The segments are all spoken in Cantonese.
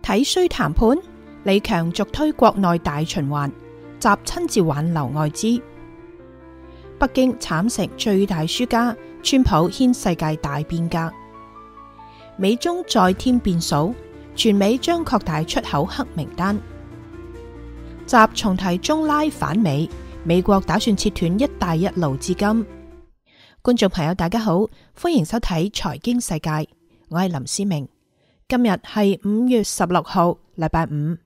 睇衰談判，李強續推國內大循環，習親自挽留外資。北京慘成最大輸家，川普掀世界大變革。美中再添變數，全美將擴大出口黑名單。習重提中拉反美，美國打算切斷一帶一路資金。觀眾朋友大家好，歡迎收睇財經世界，我係林思明。今日係5月16號，禮拜五。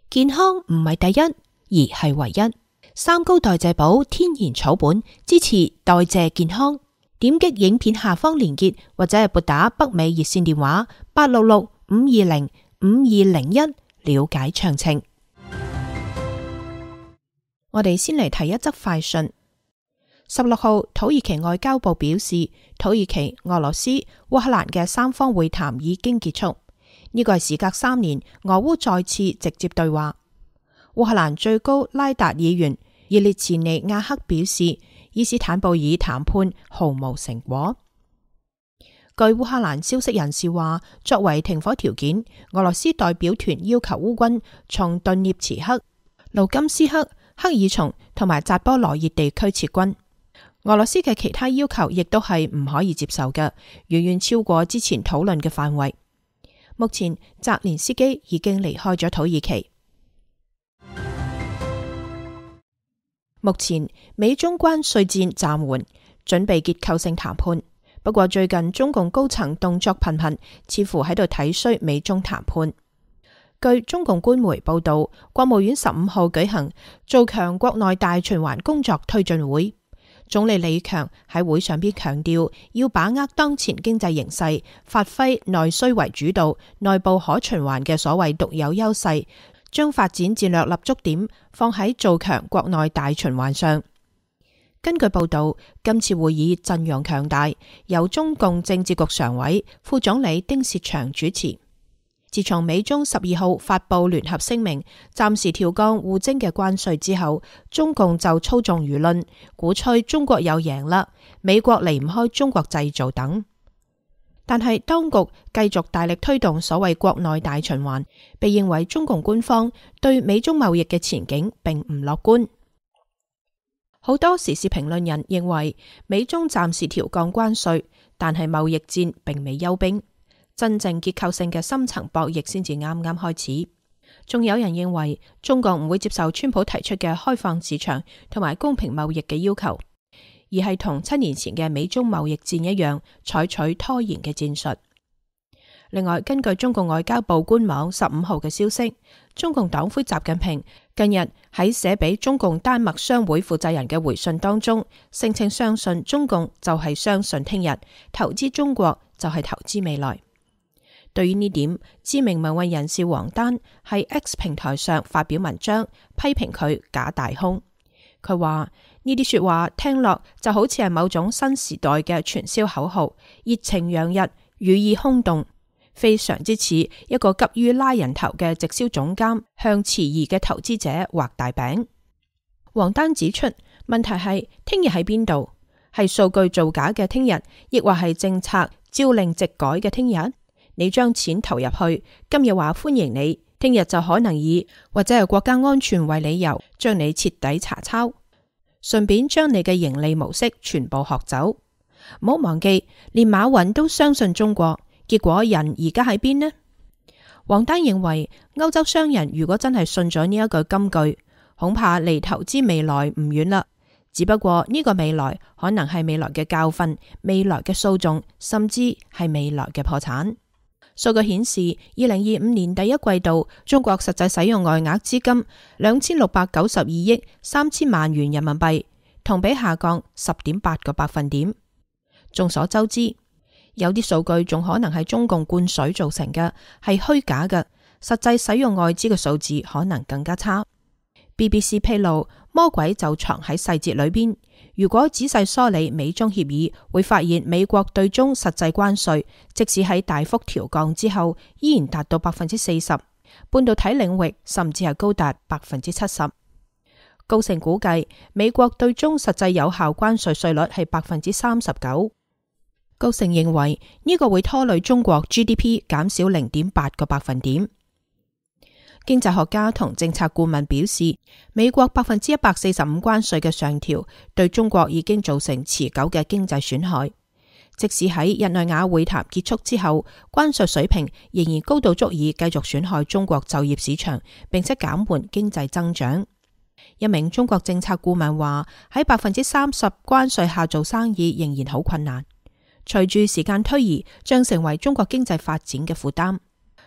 健康唔係第一，而係唯一。三高代謝寶天然草本，支持代謝健康。點擊影片下方連結，或者係撥打北美熱線電話866-520-5201了解詳情。我哋先嚟睇一則快訊。16號，土耳其外交部表示，土耳其、俄羅斯、烏克蘭嘅三方會談已經結束。呢個係時隔3年，俄烏再次直接對話。烏克蘭最高拉達議員葉列茨尼亞克表示，伊斯坦布爾談判毫無成果。據烏克蘭消息人士話，作為停火條件，俄羅斯代表團要求烏軍從頓涅茨克、盧甘斯克、克爾松同埋扎波羅熱地區撤軍。俄羅斯嘅其他要求亦都係唔可以接受嘅，遠遠超過之前討論嘅範圍。目前澤連斯基已經離開咗土耳其。目前美中關稅戰暫緩，準備結構性談判。不過最近中共高層動作頻頻，似乎喺度睇衰美中談判。據中共官媒報道，國務院15號舉行做強國內大循環工作推進會。總理李強喺會上邊強調，要把握當前經濟形勢，發揮內需為主導、內部可循環嘅所謂獨有優勢，將發展戰略立足點放喺做強國內大循環上。根據報道，今次會議陣容強大，由中共政治局常委、副總理丁薛祥主持。自從美中12號發布聯合聲明，暫時調降互徵嘅關稅之後，中共就操縱輿論，鼓吹中國又贏啦，美國離唔開中國製造等。但係當局繼續大力推動所謂國內大循環，被認為中共官方對美中貿易嘅前景並唔樂觀。好多時事評論人認為，美中暫時調降關稅，但係貿易戰並未休兵。真正結構性嘅深層博弈先至啱啱開始。仲有人認為中國唔會接受川普提出嘅開放市場同埋公平貿易嘅要求，而係同7年前嘅美中貿易戰一樣，採取拖延嘅戰術。另外，根據中共外交部官網15號嘅消息，中共黨魁習近平近日喺寫俾中共丹麥商會負責人嘅回信當中，聲稱相信中共就係相信聽日，投資中國就係投資未來。對於呢點，知名民運人士王丹喺 X 平台上發表文章，批評佢假大空。佢話呢啲說話聽落就好似係某種新時代嘅傳銷口號，熱情洋溢，語意空洞，非常之似一個急於拉人頭嘅直銷總監向遲疑嘅投資者畫大餅。王丹指出，問題係聽日喺邊度？係數據造假嘅聽日，亦或係政策朝令夕改嘅聽日？你將錢投入去，今日話歡迎你，聽日就可能以或者係國家安全為理由，將你徹底查抄，順便將你嘅盈利模式全部學走。唔好忘記，連馬雲都相信中國，結果人而家喺邊呢？王丹認為，歐洲商人如果真係信咗呢一句金句，恐怕離投資未來唔遠啦。只不過呢個未來可能係未來嘅教訓、未來嘅訴訟，甚至係未來嘅破產。數據顯示，2025年第一季度，中國實際使用外額資金2692億3千萬元人民幣，同比下降10.8個百分點。眾所周知，有啲數據仲可能係中共灌水造成嘅，係虛假嘅，實際使用外資嘅數字可能更加差。BBC 披露，魔鬼就藏喺細節裏邊。如果仔細梳理美中協議，會發現美國對中實際關稅，即使喺大幅調降之後，依然達到40%，半導體領域甚至係高達70%。高盛估計，美國對中實際有效關稅稅率係39%。高盛認為呢個會拖累中國 GDP 減少0.8個百分點。經濟學家同政策顧問表示，美國145%關稅嘅上調對中國已經造成持久嘅經濟損害。即使喺日內瓦會談結束之後，關稅水平仍然高到足以繼續損害中國就業市場，並且減緩經濟增長。一名中國政策顧問話：喺30%關稅下做生意仍然好困難，隨住時間推移，將成為中國經濟發展嘅負擔。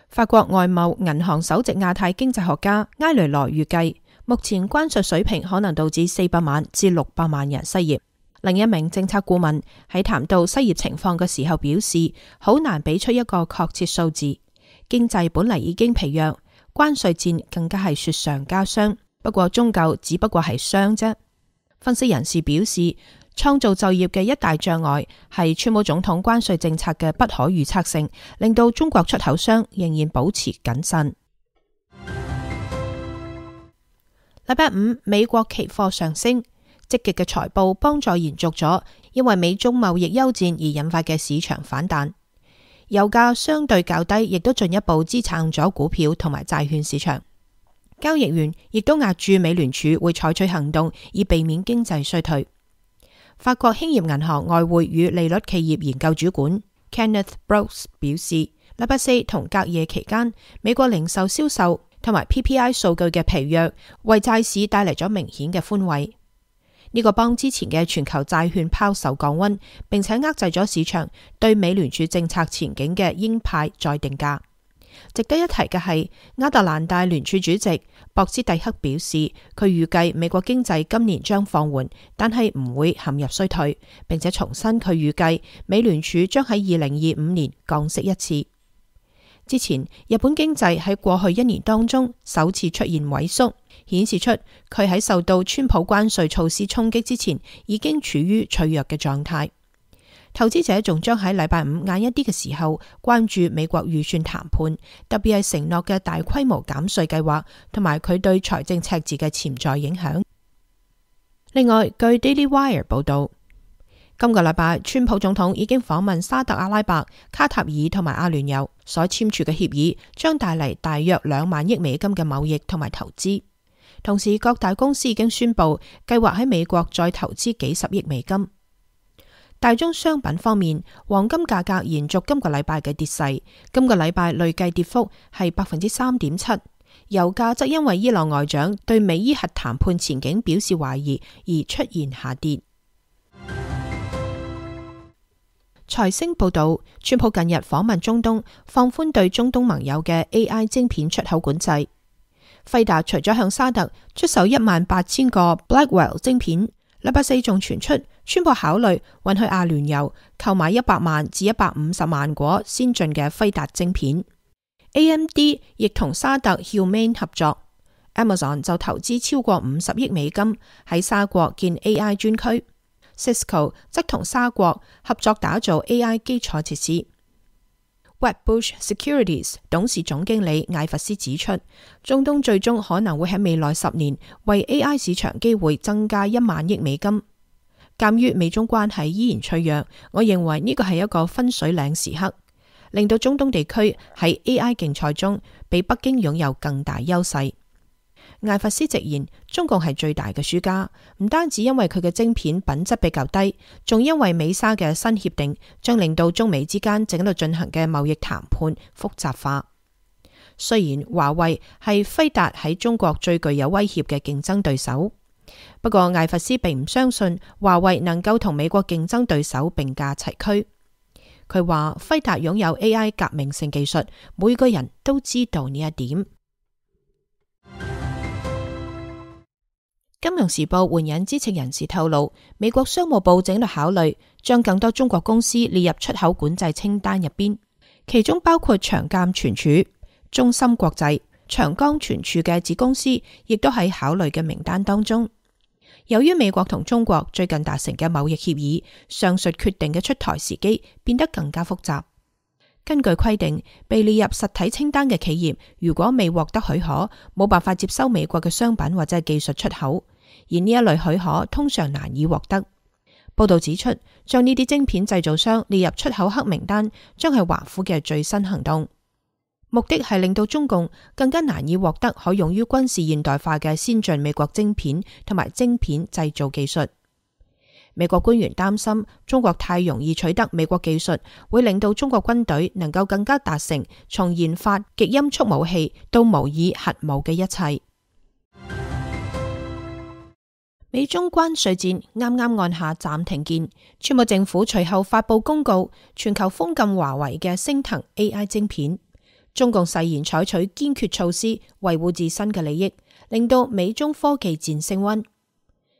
法國外貿銀行首席亞太經濟學家埃雷羅預計，目前關稅水平可能導致400萬至600萬人失業。另一名政策顧問喺談到失業情況嘅時候表示，好難俾出一個確切數字。經濟本嚟已經疲弱，關稅戰更加係雪上加霜。不過終究只不過係傷啫。分析人士表示，創造就業嘅一大障礙係川普總統關稅政策嘅不可預測性，令到中國出口商仍然保持謹慎。禮拜五，美國期貨上升，積極嘅財報幫助延續咗因為美中貿易休戰而引發嘅市場反彈。油價相對較低，亦都進一步支撐咗股票同埋債券市場。交易員亦都押注美聯儲會採取行動，以避免經濟衰退。法國興業銀行外匯與利率企業研究主管 Kenneth Brooks 表示，禮拜四同隔夜期間，美國零售銷售同埋 PPI 數據嘅疲弱，為債市帶嚟咗明顯嘅寬慰。呢個幫之前嘅全球債券拋售降溫，並且遏制咗市場對美聯儲政策前景嘅鷹派再定價。值得一提嘅係，亞特蘭大聯儲主席博斯蒂克表示，佢預計美國經濟今年將放緩，但係唔會陷入衰退，並且重申佢預計美聯儲將喺2025年降息一次。之前，日本經濟喺過去1年當中首次出現萎縮，顯示出佢喺受到川普關稅措施衝擊之前已經處於脆弱嘅狀態。投資者仲將喺禮拜五晏一啲嘅時候關注美國預算談判，特別係承諾嘅大規模減稅計劃同埋佢對財政赤字嘅潛在影響。另外，據 Daily Wire 報道，今個禮拜川普總統已經訪問沙特阿拉伯、卡塔爾同埋阿聯酋，所簽署嘅協議將帶嚟大約2萬億美金嘅貿易同埋投資。同時，各大公司已經宣布計劃喺美國再投資幾十億美金。大宗商品方面，黃金價格延續今個禮拜嘅跌勢，今個禮拜累計跌幅係 3.7%。油價則因為伊朗外長對美伊核談判前景表示懷疑而出現下跌。財星報道，川普近日訪問中東，放寬對中東盟友嘅 AI 晶片出口管制。輝達除咗向沙特出售18000個 Blackwell 晶片，禮拜四仲傳出川普考慮允許阿聯酋購買100萬至150萬顆先進嘅輝達晶片。AMD 亦同沙特 Humane 合作。Amazon 就投資超過50億美金喺沙國建 AI 專區。Cisco 則同沙國合作打造 AI 基礎設施。Wedbush Securities 董事總經理艾弗斯指出，中東最終可能會喺未來10年為 AI 市場機會增加1萬億美金。鑒於美中關係依然脆弱，我認為呢個係一個分水嶺時刻，令到中東地區喺 AI 競賽中比北京擁有更大優勢。艾弗斯直言，中共係最大嘅輸家，唔單止因為佢嘅晶片品質比較低，仲因為美沙嘅新協定將令到中美之間正喺度進行嘅貿易談判複雜化。雖然華為係輝達喺中國最具有威脅嘅競爭對手，不過艾弗斯並唔相信華為能夠同美國競爭對手並駕齊驅。佢話輝達擁有 AI 革命性技術，每個人都知道呢一點。金融時報援引知情人士透露，美國商務部正喺度考慮將更多中國公司列入出口管制清單入邊，其中包括長鑒存儲、中芯國際、長江存儲嘅子公司，亦都喺考慮嘅名單當中。由於美國同中國最近達成嘅貿易協議，上述決定嘅出台時機變得更加複雜。根據規定，被列入實體清單嘅企業，如果未獲得許可，冇辦法接收美國嘅商品或者係技術出口，而呢一類許可通常難以獲得。報道指出，將呢啲晶片製造商列入出口黑名單，將係華府嘅最新行動，目的係令到中共更加難以獲得可用於軍事現代化嘅先進美國晶片同埋晶片製造技術。美國官員擔心中國太容易取得美國技術，會令到中國軍隊能夠更加達成從研發極音速武器到模擬核武嘅一切。美中關稅戰啱啱按下暫停鍵，川普政府隨後發佈公告，全球封禁華為嘅昇騰 AI 晶片。中共誓言採取堅決措施維護自身嘅利益，令到美中科技戰升溫。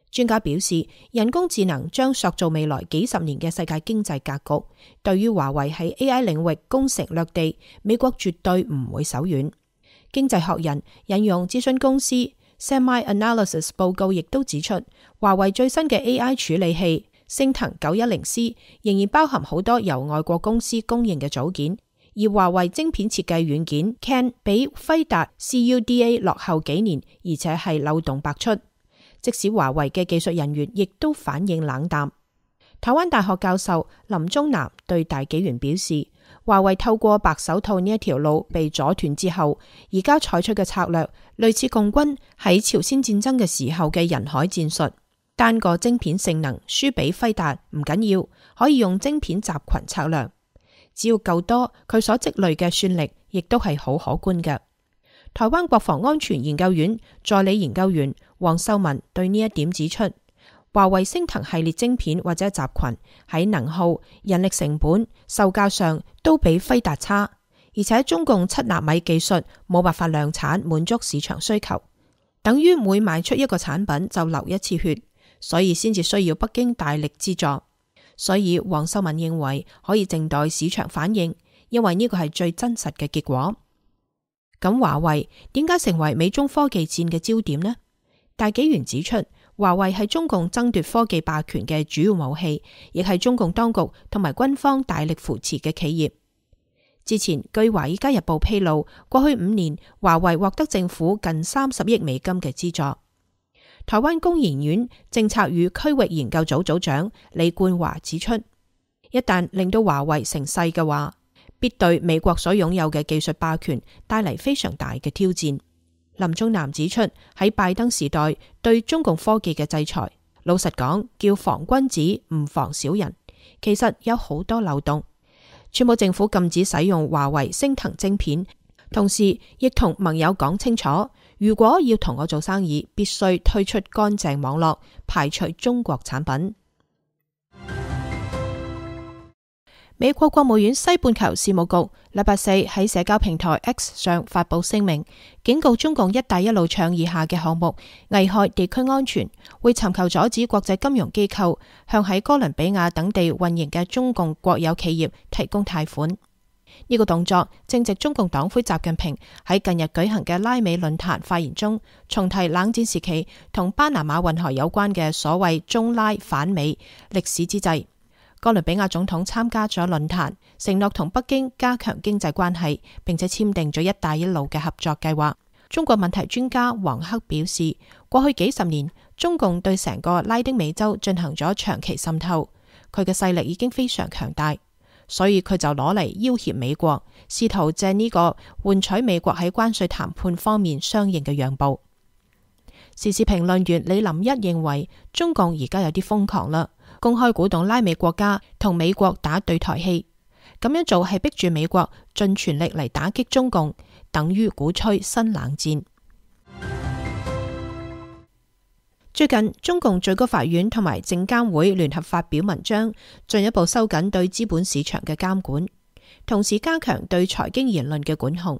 專家表示，人工智能將塑造未來幾十年嘅世界經濟格局。對於華為喺 AI 領域攻城略地，美國絕對唔會手軟。經濟學人引用諮詢公司 SemiAnalysis 報告，亦都指出，華為最新嘅 AI 處理器昇騰 910C 仍然包含好多由外國公司供應嘅組件，而華為晶片設計軟件 CAN 比輝達 CUDA 落後幾年，而且係漏洞百出。即使華為嘅技術人員亦都反應冷淡。台灣大學教授林宗南對大紀元表示，華為透過白手套呢一條路被阻斷之後，而家採取嘅策略類似共軍喺朝鮮戰爭嘅時候嘅人海戰術，單個晶片性能輸俾輝達唔緊要，可以用晶片集群策略，只要夠多，佢所積累嘅算力亦都係好可觀嘅。台灣國防安全研究院助理研究員黃秀文對呢一點指出，華為昇騰系列晶片或者集群喺能耗、人力成本、售價上都比輝達差，而且中共7納米技術冇辦法量產滿足市場需求，等於每賣出一個產品就流一次血，所以先至需要北京大力資助。所以黃秀文認為可以靜待市場反應，因為呢個係最真實嘅結果。咁華為點解成為美中科技戰嘅焦點呢？大紀元指出，華為係中共爭奪科技霸權嘅主要武器，亦係中共當局同埋軍方大力扶持嘅企業。之前據華爾街日報披露，過去5年華為獲得政府近30億美金嘅資助。台灣工研院政策與區域研究組組長李冠華指出，一旦令到華為成勢嘅話，必對美國所擁有嘅技術霸權帶嚟非常大嘅挑戰。林宗南指出，喺拜登時代對中共科技嘅制裁，老實講叫防君子唔防小人，其實有好多漏洞。川普政府禁止使用華為昇騰晶片，同時亦同盟友講清楚，如果要同我做生意，必須推出乾淨網絡，排除中國產品。美國國務院西半球事務局禮拜四喺社交平台 X 上發佈聲明，警告中共一帶一路倡議下嘅項目危害地區安全，會尋求阻止國際金融機構向喺哥倫比亞等地運營嘅中共國有企業提供貸款。呢個動作正值中共黨魁習近平喺近日舉行嘅拉美論壇發言中，重提冷戰時期同巴拿馬運河有關嘅所謂中拉反美歷史之際。哥倫比亞總統參加咗論壇，承諾同北京加強經濟關係，並且簽訂咗一帶一路嘅合作計劃。中國問題專家黃克表示，過去幾十年，中共對成個拉丁美洲進行咗長期滲透，佢嘅勢力已經非常強大，所以佢就攞嚟要挾美國，試圖借呢個換取美國喺關稅談判方面相應嘅讓步。時事評論員李林一認為，中共而家有啲瘋狂啦，公開鼓動拉美國家同美國打對台戲，咁樣做係逼住美國盡全力嚟打擊中共，等於鼓吹新冷戰。最近中共最高法院同埋證監會聯合發表文章，進一步收緊對資本市場嘅監管，同時加強對財經言論嘅管控。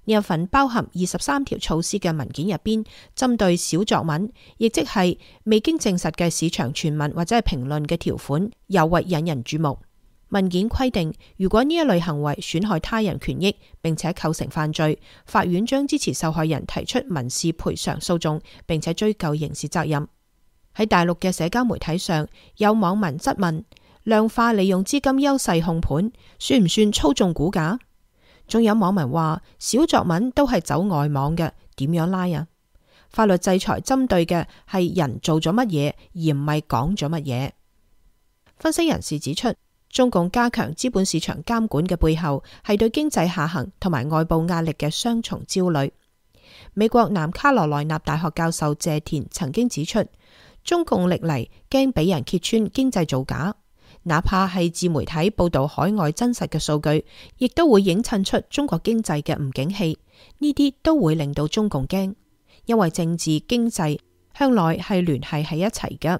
呢一份包含23條措施嘅文件入邊，針對小作文，亦即係未經證實嘅市場傳聞或者係評論嘅條款，尤為引人注目。文件規定，如果呢一類行為損害他人權益，並且構成犯罪，法院將支持受害人提出民事賠償訴訟，並且追究刑事責任。喺大陸嘅社交媒體上，有網民質問：量化利用資金優勢控盤，算唔算操縱股價？仲有網民話，小作文都係走外網嘅，點樣拉啊？法律制裁針對嘅係人做咗乜嘢，而唔係講咗乜嘢。分析人士指出，中共加強資本市場監管嘅背後係對經濟下行同埋外部壓力嘅雙重焦慮。美國南卡羅來納大學教授謝田曾經指出，中共歷嚟驚俾人揭穿經濟造假，哪怕係自媒體報道海外真實嘅數據，亦都會映襯出中國經濟嘅唔景氣。呢啲都會令到中共驚，因為政治經濟向來係聯繫喺一齊嘅。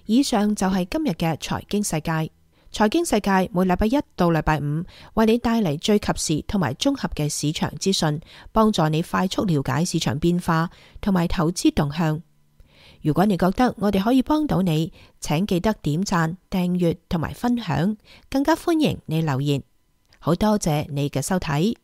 以上就係今日嘅財經世界。財經世界每禮拜一到禮拜五為你帶嚟最及時同埋綜合嘅市場資訊，幫助你快速了解市場變化同埋投資動向。如果你覺得我哋可以幫到你，請記得點讚、訂閱同埋分享，更加歡迎你留言。好多謝你嘅收睇。